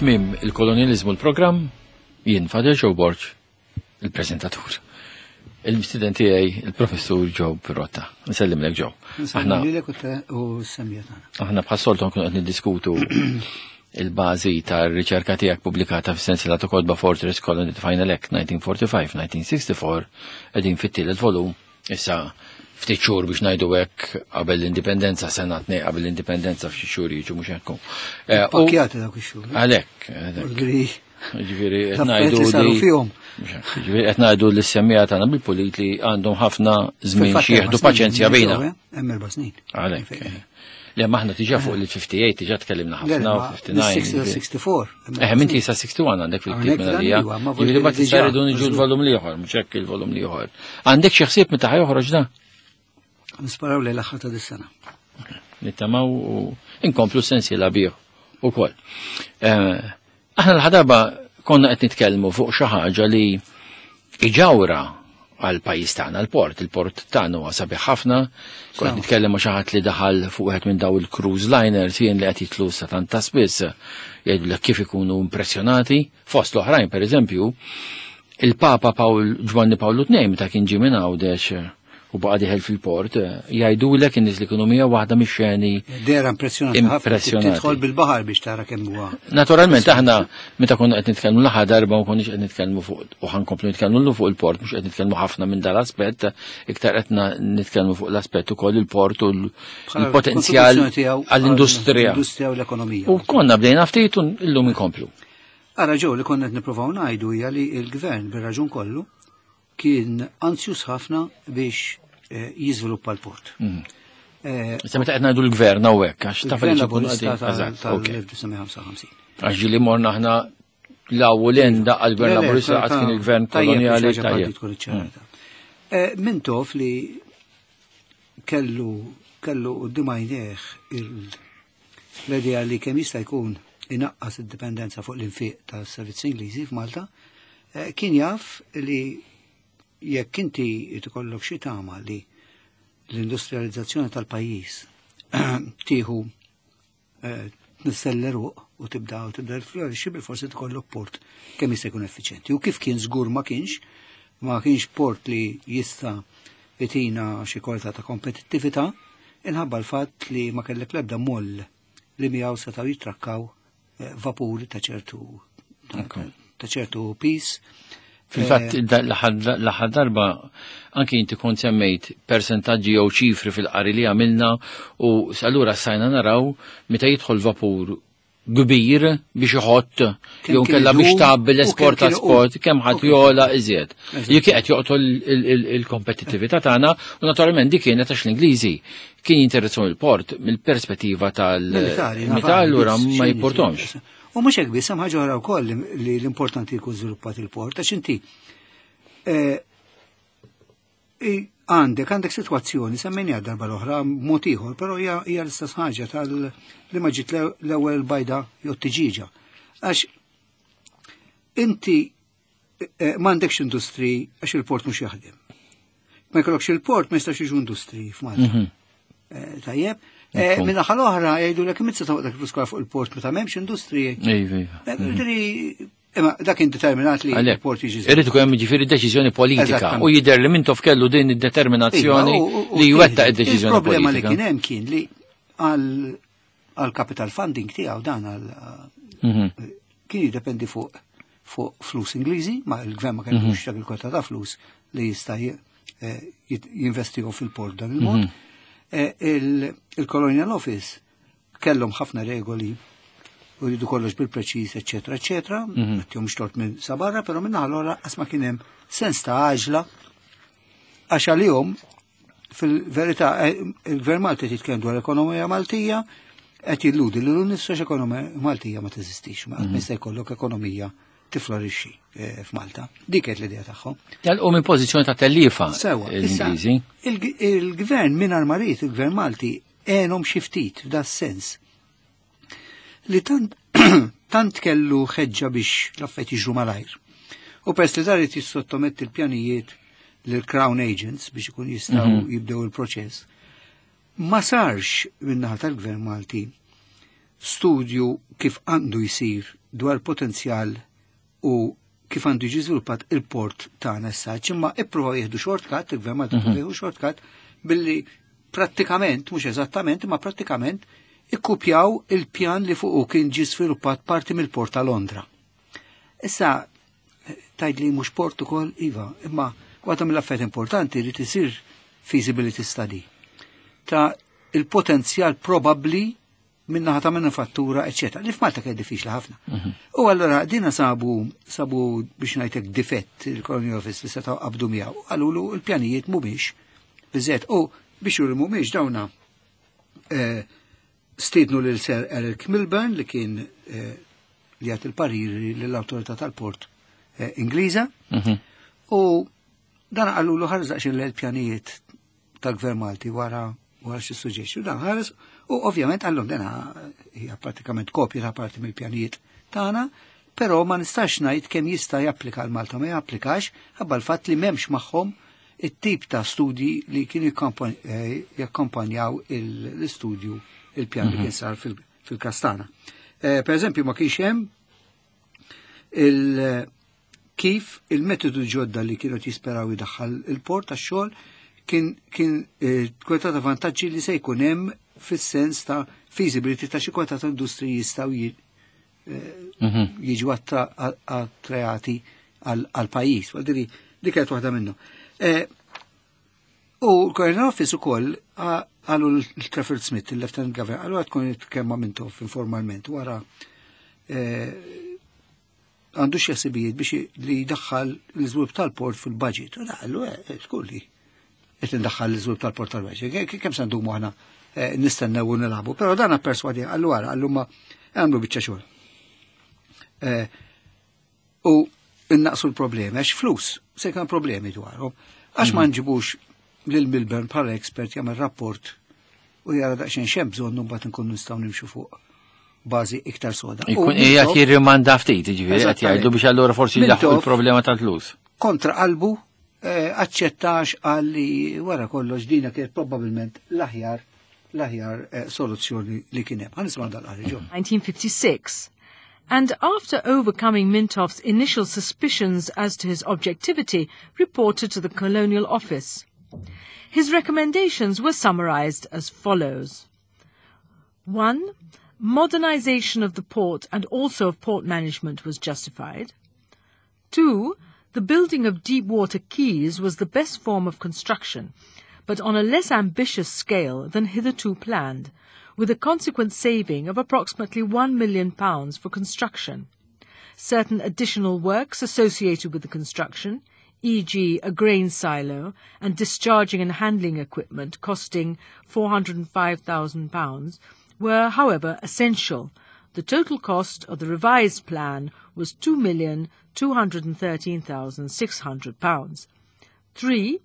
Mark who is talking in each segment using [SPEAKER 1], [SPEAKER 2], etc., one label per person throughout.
[SPEAKER 1] Tmiem il-kolonializmu l-programm, jien Fadel Joe Borg, il-preżentatur. Il-mistiden tiegħi il-professur Joe Pirotta. Nsellimlek Joe.
[SPEAKER 2] Aħna u semmiet
[SPEAKER 1] Aħna bħas-soltu nkunu qed niddiskutu il-bażi tar-riċerka tiegħek pubblikata fis-sensiela ta' kotba Fortress Colony Final Act 1945-1964 qegħdin fit-tielet volum issa ftit xhur biex ngħidu hekk qabel l-indipendenza sena tnej qabel l-indipendenza f'xi xhur jiġu mhux hekk.
[SPEAKER 2] Eh, Pakjati dawk ix-xhur.
[SPEAKER 1] Għalhekk. Ġifieri qed ngħidu li Ġifieri qed ngħidu li s-semmija tagħna bil-pulit li għandhom ħafna żmien xi jieħdu paċenzja bejna.
[SPEAKER 2] Eh? Hemm erba' snin.
[SPEAKER 1] Għalhekk. Eh. Le maħna tiġa fuq il-58 tiġa tkellimna ħafna u
[SPEAKER 2] 59. 64.
[SPEAKER 1] Eh, minti sa 61 għandek fil-ktib minn għalija. Ġifieri ma tista' jridu niġu l-volum liħor, mhux hekk il-volum liħor. Għandek xi ħsieb meta ħajoħroġ da?
[SPEAKER 2] Nisparaw li l-aħħar ta' dis-sena.
[SPEAKER 1] Nittamaw u inkomplu sensiela bih ukoll. Eh, aħna l-ħadaba konna qed nitkellmu fuq xi ħaġa li iġawra għal pajjiż tagħna l-port, il-port tagħna huwa sabiħ ħafna. Kont nitkellem ma' xi ħadd li daħal fuq wieħed minn daw il-cruise liners jien li qed jitlu sa tant ta' spiss jgħidulek kif ikunu impressjonati. Fost l-oħrajn pereżempju, il-Papa Pawl Ġwanni Pawlu II meta kien ġie minn Għawdex u baqa' dieħel fil-port, jgħidulek in-nies li kienu miegħu waħda mix-xeni.
[SPEAKER 2] Dera impressjonanti ħafna. Tidħol bil-baħar biex tara kemm huwa.
[SPEAKER 1] Naturalment aħna meta konna qed nitkellmu l-aħħar darba ma konniex qed nitkellmu fuq u ħankomplu nitkellmu fuq il-port, mhux qed nitkellmu ħafna minn dal-aspett, iktar qed nitkellmu fuq l-aspett ukoll il-port u l-potenzjal għall-industrija.
[SPEAKER 2] L-industrija u l-ekonomija.
[SPEAKER 1] U konna bdejna ftit u llum inkomplu.
[SPEAKER 2] Ara ġew li konna qed nippruvaw ngħidu hija li l-gvern bir-raġun kollu kien anzjus ħafna biex eh, jiżviluppa l-port.
[SPEAKER 1] Mm. Eh, Issa meta qed ngħidu l-gvern hawnhekk għax
[SPEAKER 2] taf li Laburista tal-1955.
[SPEAKER 1] Għax ġieli morna aħna law l daqqa l-gvern Laburista qatt kien il-gvern kolonjali
[SPEAKER 2] tajjeb. Mm. Eh, Mintoff li kellu kellu quddiem għajnejh l-idea li kemm jista' jkun inaqqas id-dipendenza fuq l-infiq tas-servizzi Ingliżi f'Malta, eh, kien jaf li jekk inti tikollok xi tama li l-industrializzazzjoni tal-pajjiż tieħu eh, tnisselleruq u tibda u tibda l-florixxi bil-forsi tkollok port kemm jista' jkun effiċjenti. U kif kien żgur ma kienx, ma kienx port li jista' itina xi kwalità ta' kompetittività, inħabba l-fatt li ma kellek l-ebda moll li miegħu setgħu jitrakkaw eh, vapuri ta' ċertu ta' ċertu pis.
[SPEAKER 1] Fil-fatt eh, l-aħħar darba anki inti kont semmejt persentaġġi jew ċifri fil-qari li għamilna u allura sajna naraw meta jidħol vapur kbir biex iħott jew kella biex tgħabbi l-esport ta' sport kemm ħadd jola iżjed. Li qed joqtol il-kompetittività tagħna u naturalment dik kienet għax l-Ingliżi kien jinteressaw il-port mill-perspettiva tal-militar allura ma jipportomx.
[SPEAKER 2] U mhux hekk biss hemm ħaġa oħra wkoll li l-importanti jkun żviluppat il-port għax inti eh, Għandek, għandek sitwazzjoni, semmejniha darba l-oħra mod ieħor, però hija l-istess ħaġa tal li ma ġiet l-ewwel bajda jew tiġiġa. Għax inti eh, m'għandekx industri għax il-port mhux jaħdem. Ma jkollokx il-port ma jistax jiġu industri f'Malta. Mhm. Eh, tajjeb, eh, Minna ħal-oħra jgħidu l mizza ta' dak il-flus fuq il-port meta m'hemmx industri.
[SPEAKER 1] Iva, iva.
[SPEAKER 2] Mhm. Imma dak kien determinat li l-port jiġi.
[SPEAKER 1] Irid ikun hemm jiġifieri deċiżjoni politika u jidher li Mintoff kellu din id-determinazzjoni iva, li jwettaq id-deċiżjoni
[SPEAKER 2] politika. Il-problema li kien hemm kien li għal capital funding tiegħu dan għal mhm. kien jiddependi fuq fuq flus Ingliżi, ma l-gvern ma kellux mhm. dak il-kwota ta' flus li jista' eh, jinvestigu fil-port dan il-mod. Mhm. Eh, il-Colonial Office kellhom ħafna regoli u jridu kollox bil-preċiż, eċetera, eċetera, mm -hmm. tort minn sabarra, però minn allora qas ma kien hemm sens ta' għaġla għax għalihom fil-verità eh, il-Gvern Malti jitkellem dwar ekonomija Maltija qed jilludi li l-nifsu ekonomija Maltija ma teżistix, ma qatt mhm. jista' jkollok ekonomija tiflorixxi eh, f'Malta. Dik qed l-idea tagħhom.
[SPEAKER 1] Telqu minn pożizzjoni ta' tellifa. Sewa, l-Ingliżi.
[SPEAKER 2] Il-gvern mingħajr marit, il-gvern Malti għenhom xi ftit f'da sens li tant, tant kellu ħeġġa biex l-affarijiet jiġru malajr. U pers li dar jissottometti l-pjanijiet lill-Crown Agents biex ikun jistgħu mm -hmm. jibdew il-proċess. Ma sarx min-naħa tal-Gvern Malti studju kif għandu jisir dwar potenzjal u kif għandu jiġi żviluppat il-port tagħna issa, imma ippruvaw jieħdu shortcut, il-gvern Malti jieħu shortcut billi prattikament, mhux eżattament, imma prattikament ikkupjaw il-pjan li fuqu kien ġi sviluppat parti mill-port ta' Londra. Issa, tgħid li mhux port ukoll, iva, imma waħda mill-affarijiet importanti li tisir feasibility study ta' il-potenzjal probabbli minnaħa ta' manifattura, eccetera. Li f'Malta kien diffiċli ħafna. U allora dina sabu biex ngħidlek difett il-Colonial Office li setgħu qabdu miegħu. Qalulu l-pjanijiet mhumiex biżżejjed. U biex juru mhumiex dawna stiednu lil Sir Eric Milburn li kien li jagħti il-pariri lill-awtorità tal-port Ingliża. U dan qalulu ħares daqsxejn l-pjanijiet tal-Gvern Malti wara xi suġġetti. U dan ħares u ovvjament għallhom dena hija pratikament kopja ta' parti mill-pjanijiet tagħna, però ma nistax ngħid kemm jista' japplika għal Malta ma japplikax ħabba l-fatt li m'hemmx magħhom it-tip ta' studji li kienu jakkompanjaw l-istudju il-pjan li kien sar fil-Kastana. Per eżempju, ma kienx hemm kif il-metodu ġodda li kienu jisperaw jidaħħal il-port tax-xogħol kien kwalità ta' vantaġġi li se jkun hemm fis-sens ta' feasibility ta' xi kwalità ta' industriji jistgħu jiġu attrajati għal pajjiż. Għal dik kienet waħda minnhom. U l-Colonial Office ukoll għalu l-Trafford Smith, il-Lieutenant Governor, għalu għad tkun kemma Mintoff informalment wara għandu xi ħsibijiet biex li jdaħħal l-iżvilupp tal-port fil-budget. U daħlu, skulli, qed indaħħal l-iżvilupp tal-port tal-budget. Kemm se ndumu aħna nistennew u nilagħbu. Però dan perswadi għallu għara, għallu ma għamlu biċċa xogħol. U innaqsu l-problemi, għax flus, se kan problemi dwarhom. Għax ma nġibux lil Milburn bħala expert jagħmel rapport u jara daqsxejn x'hemm bżonn u mbagħad nkunu nistgħu nimxu fuq bażi iktar soda. U
[SPEAKER 1] Ikun qiegħed jirrimanda ftit, jiġifieri qed jgħidu biex allura forsi jlaħħu
[SPEAKER 2] Mintoff
[SPEAKER 1] il-problema tal-flus.
[SPEAKER 2] Kontra qalbu aċċettax għalli wara kollox dina kienet probabbilment l-aħjar soluzzjoni li kien hemm. Ħa nisimgħu dal-qari ġo.
[SPEAKER 3] 1956. And after overcoming Mintoff's initial suspicions as to his objectivity, reported to the Colonial Office. His recommendations were summarized as follows. 1. Modernization of the port and also of port management was justified. 2. The building of deep water quays was the best form of construction, but on a less ambitious scale than hitherto planned, with a consequent saving of approximately £1 million for construction. Certain additional works associated with the construction, e.g. a grain silo and discharging and handling equipment costing £405,000, were, however, essential. The total cost of the revised plan was £2,213,600. 3.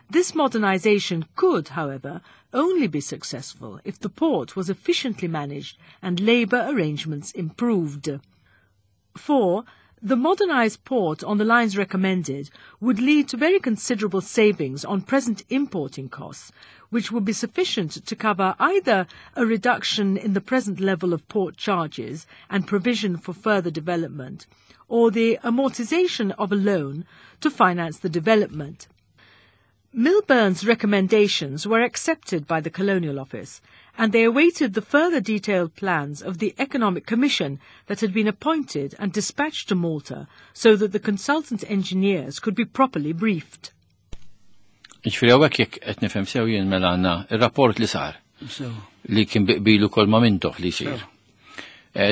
[SPEAKER 3] This modernisation could, however, only be successful if the port was efficiently managed and labour arrangements improved. 4. The modernised port on the lines recommended would lead to very considerable savings on present importing costs, which would be sufficient to cover either a reduction in the present level of port charges and provision for further development, or the amortization of a loan to finance the development. Milburn's recommendations were accepted by the Colonial Office, and they awaited the further detailed plans of the Economic Commission that had been appointed and dispatched to Malta so that the consultant engineers could be properly briefed.
[SPEAKER 1] Ġifieri hawnhekk jekk qed nifhem sew jien mela għandna ir-rapport li sar li kien bi qbilu kol ma' Mintoff li jsir.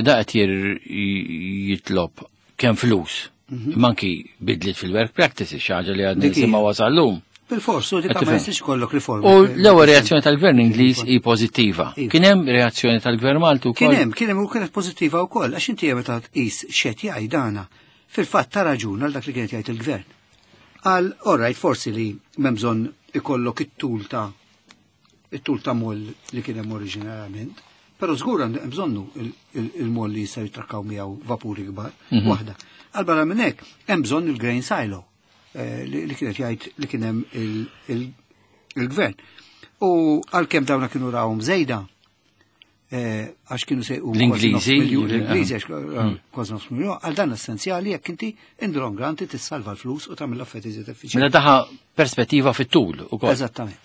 [SPEAKER 1] Da qed jitlob kemm flus, imma anki bidliet fil-work practices, xi ħaġa li għadna
[SPEAKER 2] Dik hija.
[SPEAKER 1] nisimgħu wasal-lum.
[SPEAKER 2] Bil-fors, u dik
[SPEAKER 1] Qed
[SPEAKER 2] ma
[SPEAKER 1] tifhem.
[SPEAKER 2] jistax kollok riforma.
[SPEAKER 1] U l-ewwel reazzjoni tal-gvern Ingliż hi pożittiva.
[SPEAKER 2] Iva.
[SPEAKER 1] Kien hemm reazzjoni tal-gvern Malti wkoll.
[SPEAKER 2] Kien hemm u kienet pożittiva wkoll, għax inti meta tqis x'qed jgħid dana, fil-fatt ta' raġun għal dak li kienet jgħid il-gvern. Għal, all right, forsi li m'hemm bżonn ikollok it-tul ta' moll li kien hemm oriġinarjament, però żgur hemm bżonnu il-moll li jistgħu jitrakkaw miegħu vapuri kbar, waħda. Għal barra minn hekk hemm bżonn il-grain silo li kienet jgħid li kien hemm il-gvern. U għalkemm dawna kienu rawhom żejda, Għax kienu se jqumu
[SPEAKER 1] L-Ingliżi,
[SPEAKER 2] l-Ingliżi għax kważi nofs miljun, għal dan essenzjali jekk inti in the long run tissalva l-flus u tagħmel l-affarijiet iżjed effiċjenti.
[SPEAKER 1] Mela daħa perspettiva fit-tul ukoll.
[SPEAKER 2] Eżattament.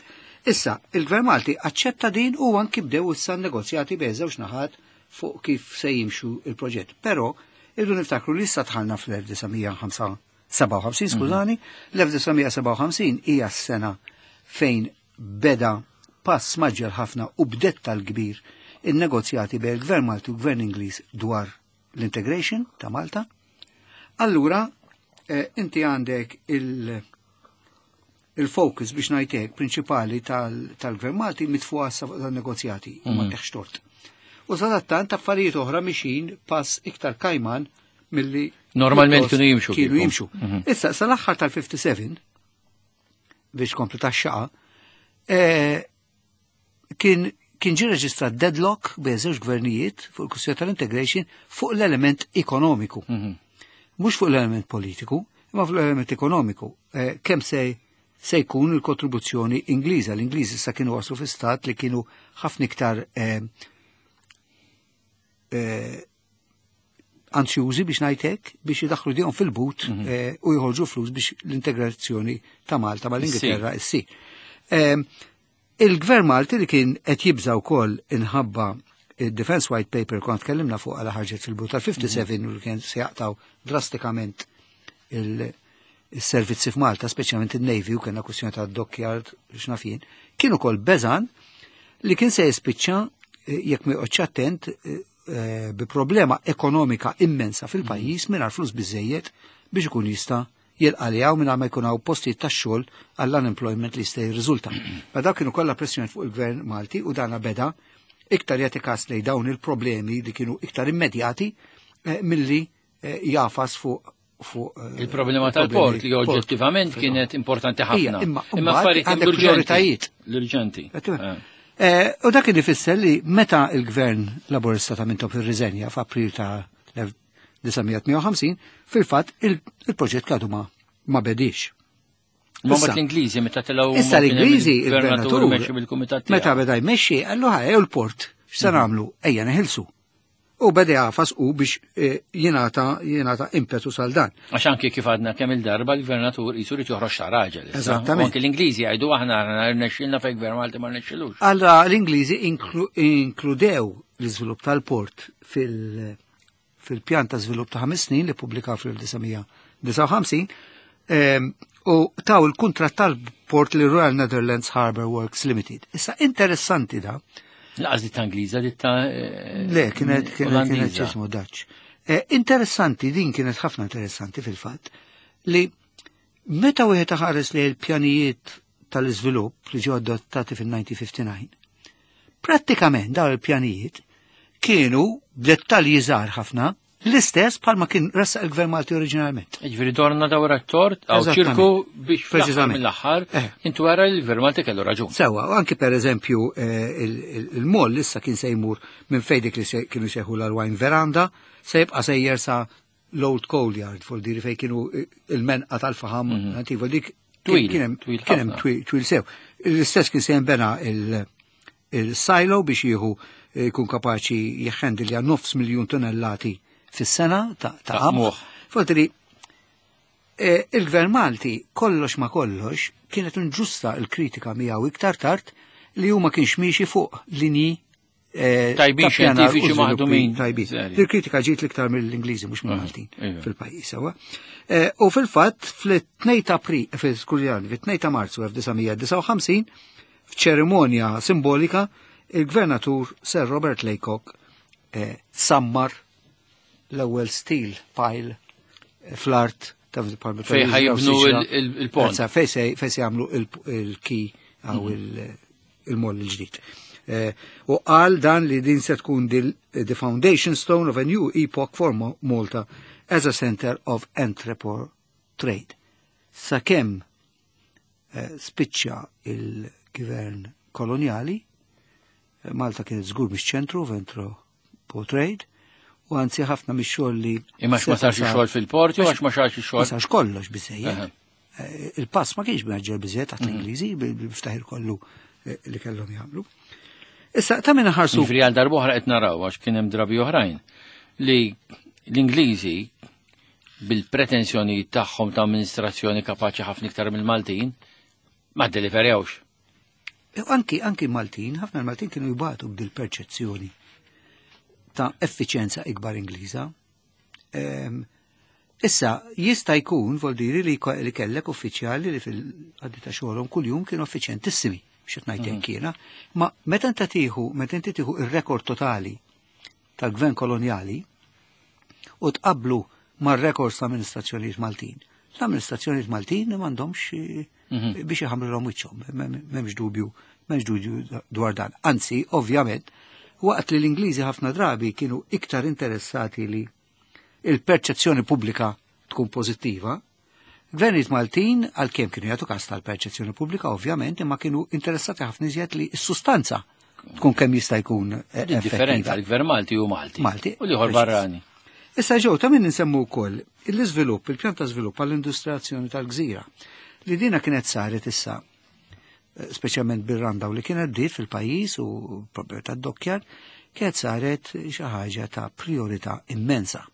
[SPEAKER 2] Issa, il-Gvern Malti aċċetta din u anki bdew issa negozjati bejn żewġ naħat fuq kif se jimxu il-proġett. Però irridu niftakru li issa dħalna fl-1957, skużani, l-1957 hija s-sena fejn beda pass mgħaġġel ħafna u b'dettal kbir il-negozjati bejn il-Gvern Malti u l-Gvern Ingliż dwar l-integration ta' Malta. Allura, inti għandek il-focus biex ngħidlek prinċipali tal-Gvern Malti mitfuqa fuq dan-negozjati, ma teħx tort. U sadattant affarijiet oħra mixin pass iktar kajman milli
[SPEAKER 1] Normalment kienu jimxu
[SPEAKER 2] Kienu
[SPEAKER 1] kieku.
[SPEAKER 2] jimxu. Issa, sal-aħħar tal-57, biex komplu tax-xaqa, kien ġie reġistrat deadlock bejn żewġ gvernijiet fuq il-kwistjoni tal-integration fuq l-element ekonomiku. Mhux fuq l-element politiku, imma fuq l-element ekonomiku. Kemm se jkun il-kontribuzzjoni Ingliża. L-Ingliżi sa kienu waslu fi stat li kienu ħafna iktar ansjużi biex ngħidlek biex jidaħlu dihom fil-but u jħorġu flus biex l-integrazzjoni ta' Malta mal-Ingilterra issir. Il-Gvern Malti li kien qed jibża wkoll inħabba il-Defense White Paper kont tkellimna fuq għala ħarġet fil-but tal-57 u li kien se jaqtaw drastikament il-servizzi f'Malta, speċjalment il-Navy u kellna kwestjoni ta' dockyard x'naf jien, kienu kol beżan li kien se jispiċċa jekk ma joqgħodx attent bi problema ekonomika immensa fil-pajjiż mingħajr flus biżejjed biex ikun jista' jilqaljaw mingħajr ma jkun hawn postijiet tax-xogħol għall-unemployment li jista' jirriżulta. Ma dawk kienu kollha pressjoni fuq il-Gvern Malti u dana beda iktar jagħti kas lejn dawn il-problemi li kienu iktar immedjati milli jafas fuq
[SPEAKER 1] Il-problema tal-port li oġġettivament kienet importanti ħafna.
[SPEAKER 2] Imma
[SPEAKER 1] Imma affarijiet
[SPEAKER 2] għandek
[SPEAKER 1] l-urġenti.
[SPEAKER 2] prioritajiet.
[SPEAKER 1] L-urġenti.
[SPEAKER 2] U dak kien ifisser li meta il-Gvern Laburista ta' Mintoff irriżenja f'April ta' 1958, fil-fatt il-proġett għadu ma bedix.
[SPEAKER 1] Ma
[SPEAKER 2] Issa-
[SPEAKER 1] mbagħad l-Ingliżi meta telgħu
[SPEAKER 2] Issa l-Ingliżi,
[SPEAKER 1] il-gvernatur
[SPEAKER 2] il-gvernatur,
[SPEAKER 1] mexxi bil-kumitat
[SPEAKER 2] meta
[SPEAKER 1] tiegħu.
[SPEAKER 2] beda jmexxi, qallu ħa u l-port, x'se nagħmlu? Ejja neħilsu. U beda jafas u biex jingħata impetu sal dan.
[SPEAKER 1] Għax anki kif għadna kemm il-darba l-gvernatur jisu rid joħroġ ta' raġel. issa.
[SPEAKER 2] Eżattament.
[SPEAKER 1] U anki l-Ingliżi jgħidu aħna rnexxilna fejn gvern Malti ma rnexxilux.
[SPEAKER 2] Allora l-Ingliżi inkludew l-iżvilupp tal-port fil-pjan ta' żvilupp ta' 5 snin li pubblikaw fil-1959 u taw il-kuntratt tal-port li Royal Netherlands Harbour Works Limited. Issa interessanti da,
[SPEAKER 1] Laqas ditta Ingliża, ditta
[SPEAKER 2] Le, kienet
[SPEAKER 1] Olandiża.
[SPEAKER 2] ġismu Dutch. Interessanti, din kienet ħafna interessanti fil-fatt, li meta wieħed ħares li l-pjanijiet tal-iżvilupp li ġew adottati fil-1959, prattikament dawn il-pjanijiet kienu b'dettalji żgħar ħafna l-istess bħalma kien ressaq il-Gvern Malti oriġinalment.
[SPEAKER 1] Ġifieri dorna dawra t-tort, għaw
[SPEAKER 2] Eżattament.
[SPEAKER 1] ċirku biex fl-aħħar
[SPEAKER 2] Preċiżament.
[SPEAKER 1] mill-aħħar, intu għara l-Gvern Malti kellu raġun.
[SPEAKER 2] Sewa, u anki per eżempju il-moll issa kien se jmur minn fejn dik li kienu seħu l-wine veranda, se jibqa sejjer sa l-Old Coal Yard, fuq diri fej kienu il-menqa tal-faham, anti fuq dik
[SPEAKER 1] Twil,
[SPEAKER 2] kien hemm
[SPEAKER 1] twil
[SPEAKER 2] kien hemm
[SPEAKER 1] ħafna.
[SPEAKER 2] twil sew. L-istess kien se jinbena il-silo biex jieħu jkun kapaċi jihhandilja 500,000 tonnellati fis-sena ta'
[SPEAKER 1] Ta'
[SPEAKER 2] qamħ.
[SPEAKER 1] qmuħ.
[SPEAKER 2] Fuq il-Gvern Malti kollox ma kollox kienet inġusta il-kritika miegħu iktar tard li huma kienx miexi fuq linji
[SPEAKER 1] Tajbin
[SPEAKER 2] ta' pjanar u
[SPEAKER 1] xjentifiċi
[SPEAKER 2] żviluppi
[SPEAKER 1] maħdumin.
[SPEAKER 2] Tajbin.
[SPEAKER 1] Seri.
[SPEAKER 2] Il-kritika ġiet l-iktar mill-Ingliżi mhux mill-Maltin fil-pajjiż sewwa. U fil-fatt fl-2 ta' April, fil-skużani, fit-2 ta' Marzu 1959 f'ċerimonja simbolika il-Gvernatur Sir Robert Laycock sammar l-ewwel steel pile fl-art ta'
[SPEAKER 1] Fej ħajibnu il-pont.
[SPEAKER 2] Fej se jagħmlu il-quay għaw il-moll il-ġdid. U qal dan li din se tkun the foundation stone of a new epoch for Malta as a center of entrepot trade. Sakemm spiċċa il-gvern koloniali, Malta kienet żgur mhix ċentru of entrepot trade, u anzi ħafna mix-xogħol li
[SPEAKER 1] Imma ma
[SPEAKER 2] seta'
[SPEAKER 1] sarx
[SPEAKER 2] sar-
[SPEAKER 1] xogħol fil-port jew għax ma sarx
[SPEAKER 2] Ma
[SPEAKER 1] xogħol.
[SPEAKER 2] sarx kollox biżejjed. Il-pass ma kienx mgħaġġel biżejjed taħt l-Ingliżi bil-ftaħir kollu li kellhom jagħmlu. Issa, ta' minna ħarsu.
[SPEAKER 1] Ġifieri għal darb'oħra qed naraw għax kien hemm drabi oħrajn li l-Ingliżi bil-pretensjoni tagħhom ta' amministrazzjoni kapaċi ħafna iktar mill-Maltin ma ddeliverjawx.
[SPEAKER 2] Anki Maltin, ħafna l-Maltin kienu jibatu b'dil perċezzjoni ta' effiċjenza ikbar Ingliża. Issa, jista' jkun, vol diri, li kellek uffiċjali li fil-għaddi ta' xogħolhom kuljum kienu effiċjentissimi, xi ngħid hekk jiena, ma meta inti tieħu ir-rekord totali tal-gvern kolonjali u tqablu mar-rekords ta' amministrazzjonijiet Maltin. L-amministrazzjonijiet Maltin m'għandhomx biex iħamrilhom wiċċhom, m'hemmx dubju, m'hemmx dubju dwar dan. Anzi, ovvjament, waqt li l-Ingliżi ħafna drabi kienu iktar interessati li il-perċezzjoni pubblika tkun pożittiva, gvernijiet Maltin għalkemm kienu jagħtu kas tal-perċezzjoni pubblika, ovvjament, imma kienu interessati ħafna iżjed li s-sustanza tkun kemm jista' jkun
[SPEAKER 1] Differenza
[SPEAKER 2] effettiva.
[SPEAKER 1] l-gvern Malti u Malti.
[SPEAKER 2] Malti,
[SPEAKER 1] U l-ieħor
[SPEAKER 2] preċiż.
[SPEAKER 1] barrani.
[SPEAKER 2] Issa ġew ta' min nsemmu wkoll l-iżvilupp, il-pjan ta' żvilupp għall-industrializzazzjoni tal-gżira. Li dina kienet saret issa, speċjalment bir-Randaw li kienet bdiet fil-pajjiż u propju tad-dokkjar, kienet saret xi ħaġa ta' priorità immensa.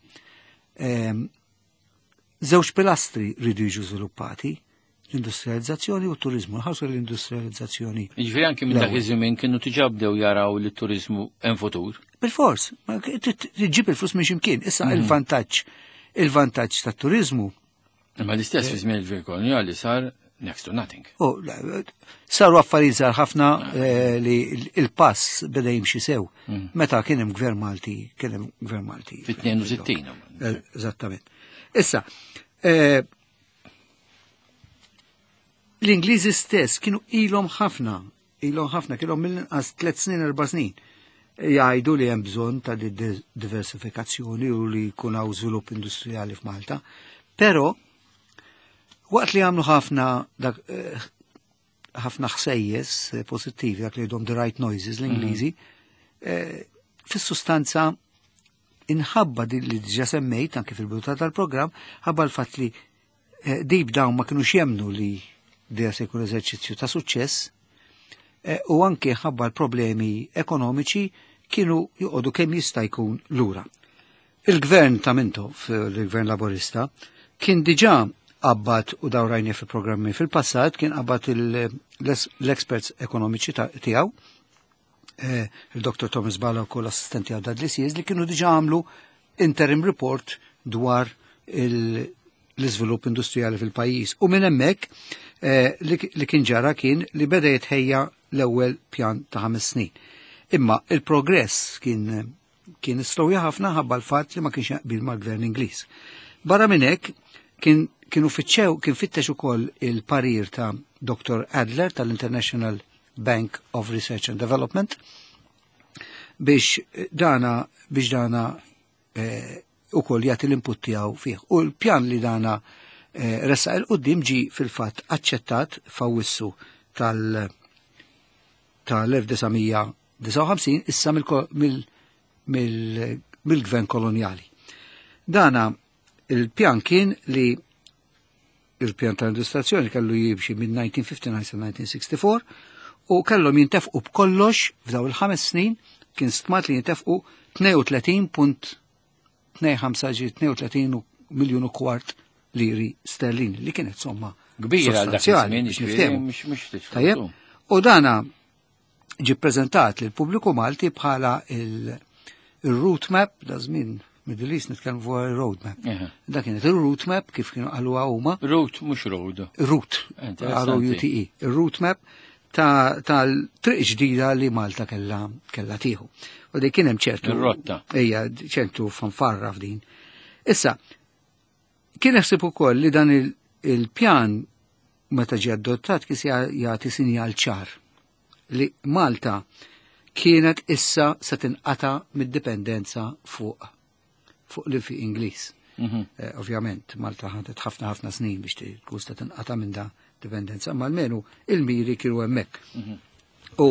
[SPEAKER 2] Żewġ pilastri rridu jiġu żviluppati, l-industrializzazzjoni u t-turizmu. Nħarsu l-industrializzazzjoni.
[SPEAKER 1] Jiġifieri anki minn dak
[SPEAKER 2] L-ewwel.
[SPEAKER 1] iż-żmien kienu diġà bdew jaraw li t-turizmu hemm futur.
[SPEAKER 2] Bil-fors, ma tġib il-flus minn ximkien. Issa il-vantaġġ tat-turizmu.
[SPEAKER 1] Imma l-istess fi żmien il-gvern kolonjali sar next to nothing.
[SPEAKER 2] Oh, le, saru affarijiet żgħar ħafna li il-pass beda jimxi sew. Meta kien hemm gvern Malti, kien hemm gvern Malti.
[SPEAKER 1] Fit-62.
[SPEAKER 2] Eżattament. Issa, l-Ingliżi stess kienu ilhom ħafna, ilhom ħafna, kienhom mill-inqas 3 snin, 4 snin jgħidu li hemm bżonn ta' diversifikazzjoni u li jkun hawn żvilupp industrijali f'Malta. Però waqt li għamlu ħafna dak ħafna ħsejjes pożittivi, dak li jgħidhom the right noises l-Ingliżi, fis-sustanza inħabba din li diġà semmejt anke fil-bidu tal-programm, ħabba l-fatt li deep down ma kinux jemnu li dija se jkun eżerċizzju ta' suċċess, u anke ħabba l-problemi ekonomiċi kienu joqogħdu kemm jista' jkun lura. Il-gvern ta' Mintoff, il-gvern Laborista, kien diġà qabad u dawrajni fi programmi fil-passat, kien qabad l-experts ekonomiċi tiegħu, il-Dr. Thomas Bala u l-assistenti għaw Dudley Sears, li kienu diġà għamlu interim report dwar l-iżvilupp industrijali fil-pajjiż. U minn hemmhekk li kien ġara kien li beda jitħejja l-ewwel pjan ta' 5 snin. Imma il-progress kien slowja ħafna ħabba l-fatt li ma kienx jaqbil mal-gvern Ingliż. Barra minn hekk kienu fitxew, kien fittex ukoll il-parir ta' Dr. Adler tal-International Bank of Research and Development biex dana ukoll jagħti l-input tiegħu fih. U l-pjan li dana ressaq il qudiem ġi fil-fatt aċċettat f'Awwissu tal-1959 issa mill-gvern kolonjali. Dana il-pjan kien li il-pjan tal-industrializzazzjoni kellu jimxi minn 1959 sa 1964 u kellhom jintefqu b'kollox f'daw il-5 snin kien stmat li jintefqu tnejn u tletin punt tnejn ħamsa ġi tnejn u tletin u miljun u kwart liri sterlin, li kienet somma
[SPEAKER 1] kbira għal dak
[SPEAKER 2] sostanzjali,
[SPEAKER 1] iż-żmien,
[SPEAKER 2] biex
[SPEAKER 1] jiġifieri,
[SPEAKER 2] niftehmu.
[SPEAKER 1] mhux titfgħu.
[SPEAKER 2] Tajjeb, u dana ġi prezentat lil pubbliku Malti bħala il-route map, da żmien Middle East nitkellmu fuq il-road map. Da kienet il-route map kif kienu qaluha huma.
[SPEAKER 1] Route mhux road.
[SPEAKER 2] Route,
[SPEAKER 1] Interessanti.
[SPEAKER 2] R O U T E. Il-route map tal-triq ġdida li Malta kella tieħu. U di kien hemm ċertu
[SPEAKER 1] Ir-rotta.
[SPEAKER 2] Ejja, ċertu fanfarra f'din. Issa, kien jaħseb ukoll li dan il-pjan meta ġie adottat kien se jagħti sinjal ċar li Malta kienet issa se tinqata' mid-dipendenza fuq l-infiq Ingliż. Ovvjament, Malta ħadet ħafna ħafna snin biex tkun se tinqata' minn da dipendenza, ma almenu il-miri kienu hemmhekk. U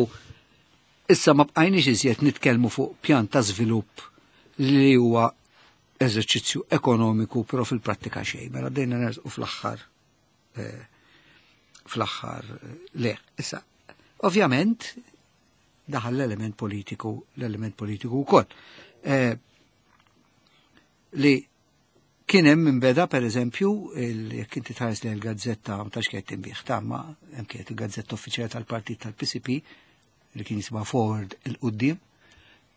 [SPEAKER 2] issa ma bqajniex iżjed nitkellmu fuq pjan ta' żvilupp li huwa eżerċizzju ekonomiku, però fil-prattika xejn. Mela bdejna nersqu fl-aħħar le. Issa, ovvjament, daħal l-element politiku, l-element politiku wkoll. Li kien hemm minn beda pereżempju, jekk inti tħares li l-gazzetta ma tax kienet tinbih ta' ma hemm kienet il-gazzetta uffiċjali tal-partit tal-PCP li kien jisma' Forward il-Qudiem.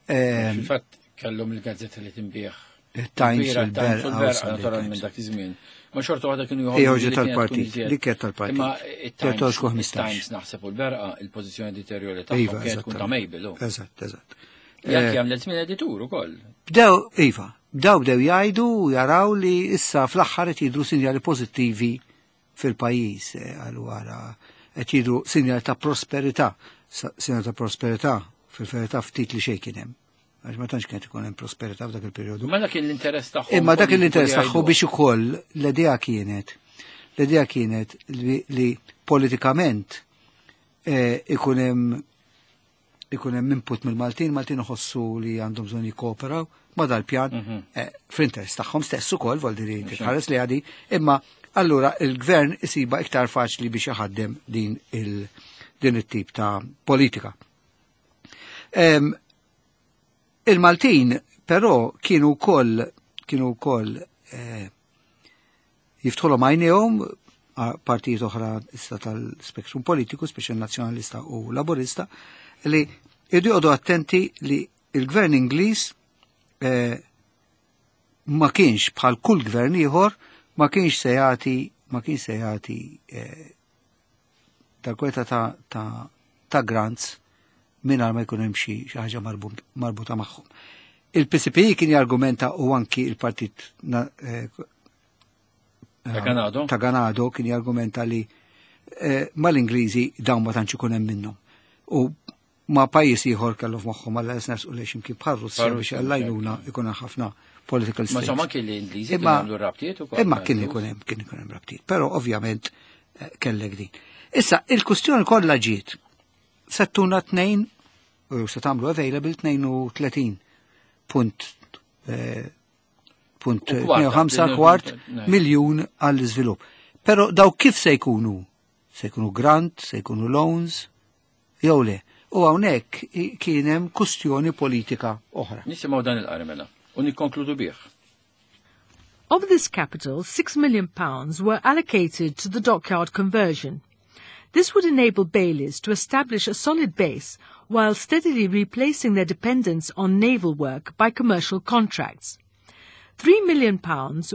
[SPEAKER 1] Fil-fatt kellhom il-gazzetta li tinbih.
[SPEAKER 2] Il-Times, il-Berqa,
[SPEAKER 1] naturalment dak iż-żmien. Ma xorta waħda kienu
[SPEAKER 2] joħorġu tal-partit, li kienet tal-partit.
[SPEAKER 1] Imma il-Times naħseb u l-Berqa il-pożizzjoni editorjali tagħhom kienet tkun ta' Mabel.
[SPEAKER 2] Eżatt, eżatt.
[SPEAKER 1] Jekk jagħmel żmien editur ukoll.
[SPEAKER 2] Bdew, iva, bdew jgħidu u jaraw li issa fl-aħħar qed jidhru sinjali pożittivi fil-pajjiż, għalu għara qed jidhru sinjali ta' prosperità, sinjali ta' prosperità fil-verità ftit li xejn kien hemm. Għax ma tantx kienet ikun hemm prosperità f'dak il-perjodu.
[SPEAKER 1] Ma dak l-interess tagħhom.
[SPEAKER 2] Imma dak l-interess tagħhom biex ukoll l-idea kienet, l-idea kienet li politikament ikun hemm input mill-Maltin, Maltin iħossu li għandhom bżonn jikkooperaw ma dal-pjan fl-interess tagħhom stess ukoll, vol diri titħares li għadi, imma allura il-gvern isiba iktar faċli biex jaħaddem din it-tip ta' politika. Il-Maltin però kienu wkoll jiftħulhom għajnejhom partijiet oħra issa tal-spektrum politiku, speċjal nazzjonalista u laburista, li jridu joqogħdu attenti li il-gvern Ingliż ma kienx bħal kull gvern ieħor, ma kienx se jagħti tal-kweta ta' grants mingħajr ma jkun hemm xi ħaġa marbuta magħhom. Il-PCP kien jargumenta u anki il-partit ta' Ganado kien jargumenta li mal-Ingliżi dawn ma tantx ikun hemm minnhom. U ma pajjiż ieħor kellu f'moħħhom għal ners u lejx imkien bħal Russja biex għallajnuna ikun ħafna political stakes.
[SPEAKER 1] Ma insomma kien l-Ingliżi kienu għamlu rabtiet ukoll.
[SPEAKER 2] Imma kien ikun hemm rabtiet, però ovvjament kellek din. Issa il-kustjoni kollha ġiet settuna 2 u se tagħmlu available 32.5 kwart miljun għall-iżvilupp. Però daw kif se jkunu? Se jkunu grant, se jkunu loans, jew le. U hawnhekk kien hemm kustjoni politika oħra.
[SPEAKER 1] Nisimgħu dan il-qari mela u nikkonkludu bih.
[SPEAKER 3] Of this capital, £6 million were allocated to the dockyard conversion. This would enable Bayleys to establish a solid base while steadily replacing their dependence on naval work by commercial contracts. £3 million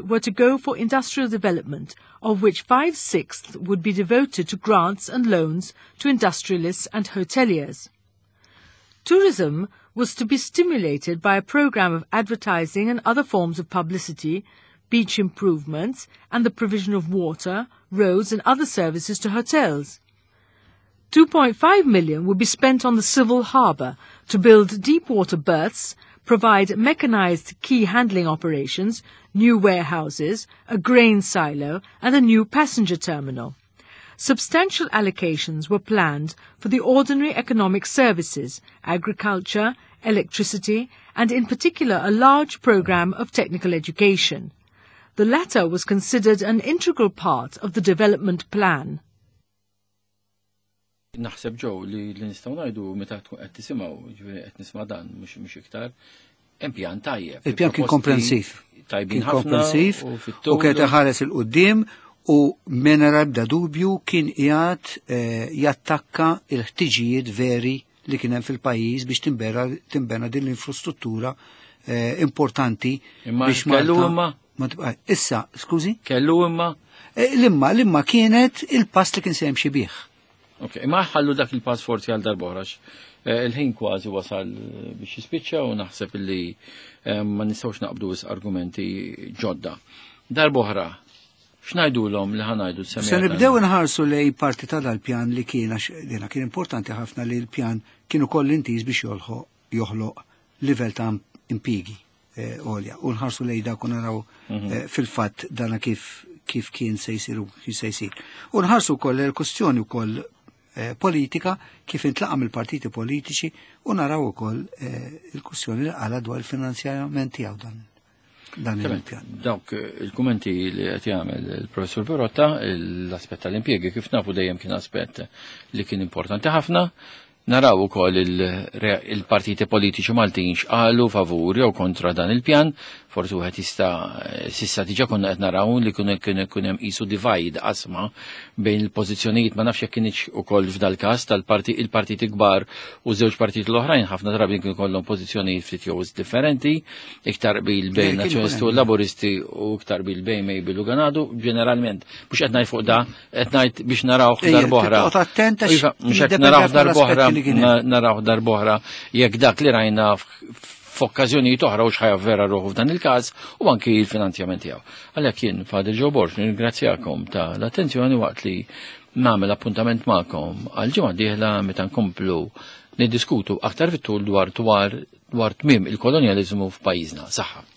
[SPEAKER 3] were to go for industrial development, of which 5/6 would be devoted to grants and loans to industrialists and hoteliers. Tourism was to be stimulated by a programme of advertising and other forms of publicity, beach improvements, and the provision of water, roads and other services to hotels. 2.5 million would be spent on the civil harbour to build deep water berths, provide mechanized key handling operations, new warehouses, a grain silo and a new passenger terminal. Substantial allocations were planned for the ordinary economic services, agriculture, electricity, and in particular a large programme of technical education. The latter was considered an integral part of the development plan.
[SPEAKER 1] Naħseb ġew li nistgħu ngħidu meta tkun qed tisimgħu, ġifieri qed nisma' dan mhux iktar, hemm pjan tajjeb.
[SPEAKER 2] Il-pjan kien komprensiv.
[SPEAKER 1] Tajbin
[SPEAKER 2] ħafna. Komprensiv u kien iħares il quddiem u mingħajr ebda dubju kien qiegħed jattakka l-ħtiġijiet veri li kien hemm fil-pajjiż biex tinbena din l-infrastruttura importanti biex
[SPEAKER 1] Malta.
[SPEAKER 2] Issa, skużi?
[SPEAKER 1] Kellu imma?
[SPEAKER 2] L-imma kienet il-pass li kien se jimxi bih.
[SPEAKER 1] Ok, imma ħallu dak il-pass forsi għal darb'oħra. Il-ħin kważi wasal biex jispiċċa u naħseb li ma nistgħux naqbdu argumenti ġodda. Darb'oħra, x'ngħidulhom li ħanajdu
[SPEAKER 2] s-semija? Se nibdew inħarsu lej parti ta' dal-pjan li kien għax dina kien importanti ħafna li l-pjan kien ukoll intiż biex joħloq livell ta' impjiegi għolja. U nħarsu lej dak u naraw fil-fatt dana kif kien se jsir u kif se jsir. U nħarsu wkoll il-kwestjoni wkoll politika kif intlaqa' mill-partiti politiċi u naraw ukoll il-kwestjoni li qala dwar il-finanzjament tiegħu dan il-pjan.
[SPEAKER 1] Dawk il-kummenti li qed jagħmel il-Professur Pirotta, l-aspett tal-impjiegi kif nafu dejjem kien aspett li kien importanti ħafna. Naraw ukoll il-partiti politiċi Maltin x'qalu favur jew kontra dan il-pjan, forsi wieħed jista' sissa diġà konna qed naraw li kien kien hemm qisu divide qasma bejn il-pożizzjonijiet ma nafx jekk kienx ukoll f'dal-każ tal-parti il-partiti kbar u żewġ partiti l-oħrajn ħafna drabi kien kollhom pożizzjonijiet ftit jew differenti, iktar qbil bejn Nazzjonisti u Laburisti u iktar qbil bejn Mabel u Ganado, ġeneralment mhux qed ngħid fuq da, qed ngħid biex narawh darb'oħra.
[SPEAKER 2] Iva,
[SPEAKER 1] mhux qed narawh darb'oħra, narawh darb'oħra jekk dak li rajna f'okkażjonijiet oħra u x'ħajja vera ruħu f'dan il-każ u anki l-finanzjament tiegħu. Għalhekk jien Father Joe Borg nirringrazzjakom ta' l-attenzjoni waqt li nagħmel appuntament magħkom għal ġimgħa dieħla meta nkomplu niddiskutu aktar fit-tul dwar dwar dwar tmiem il-kolonjaliżmu f'pajjiżna. Saħħa.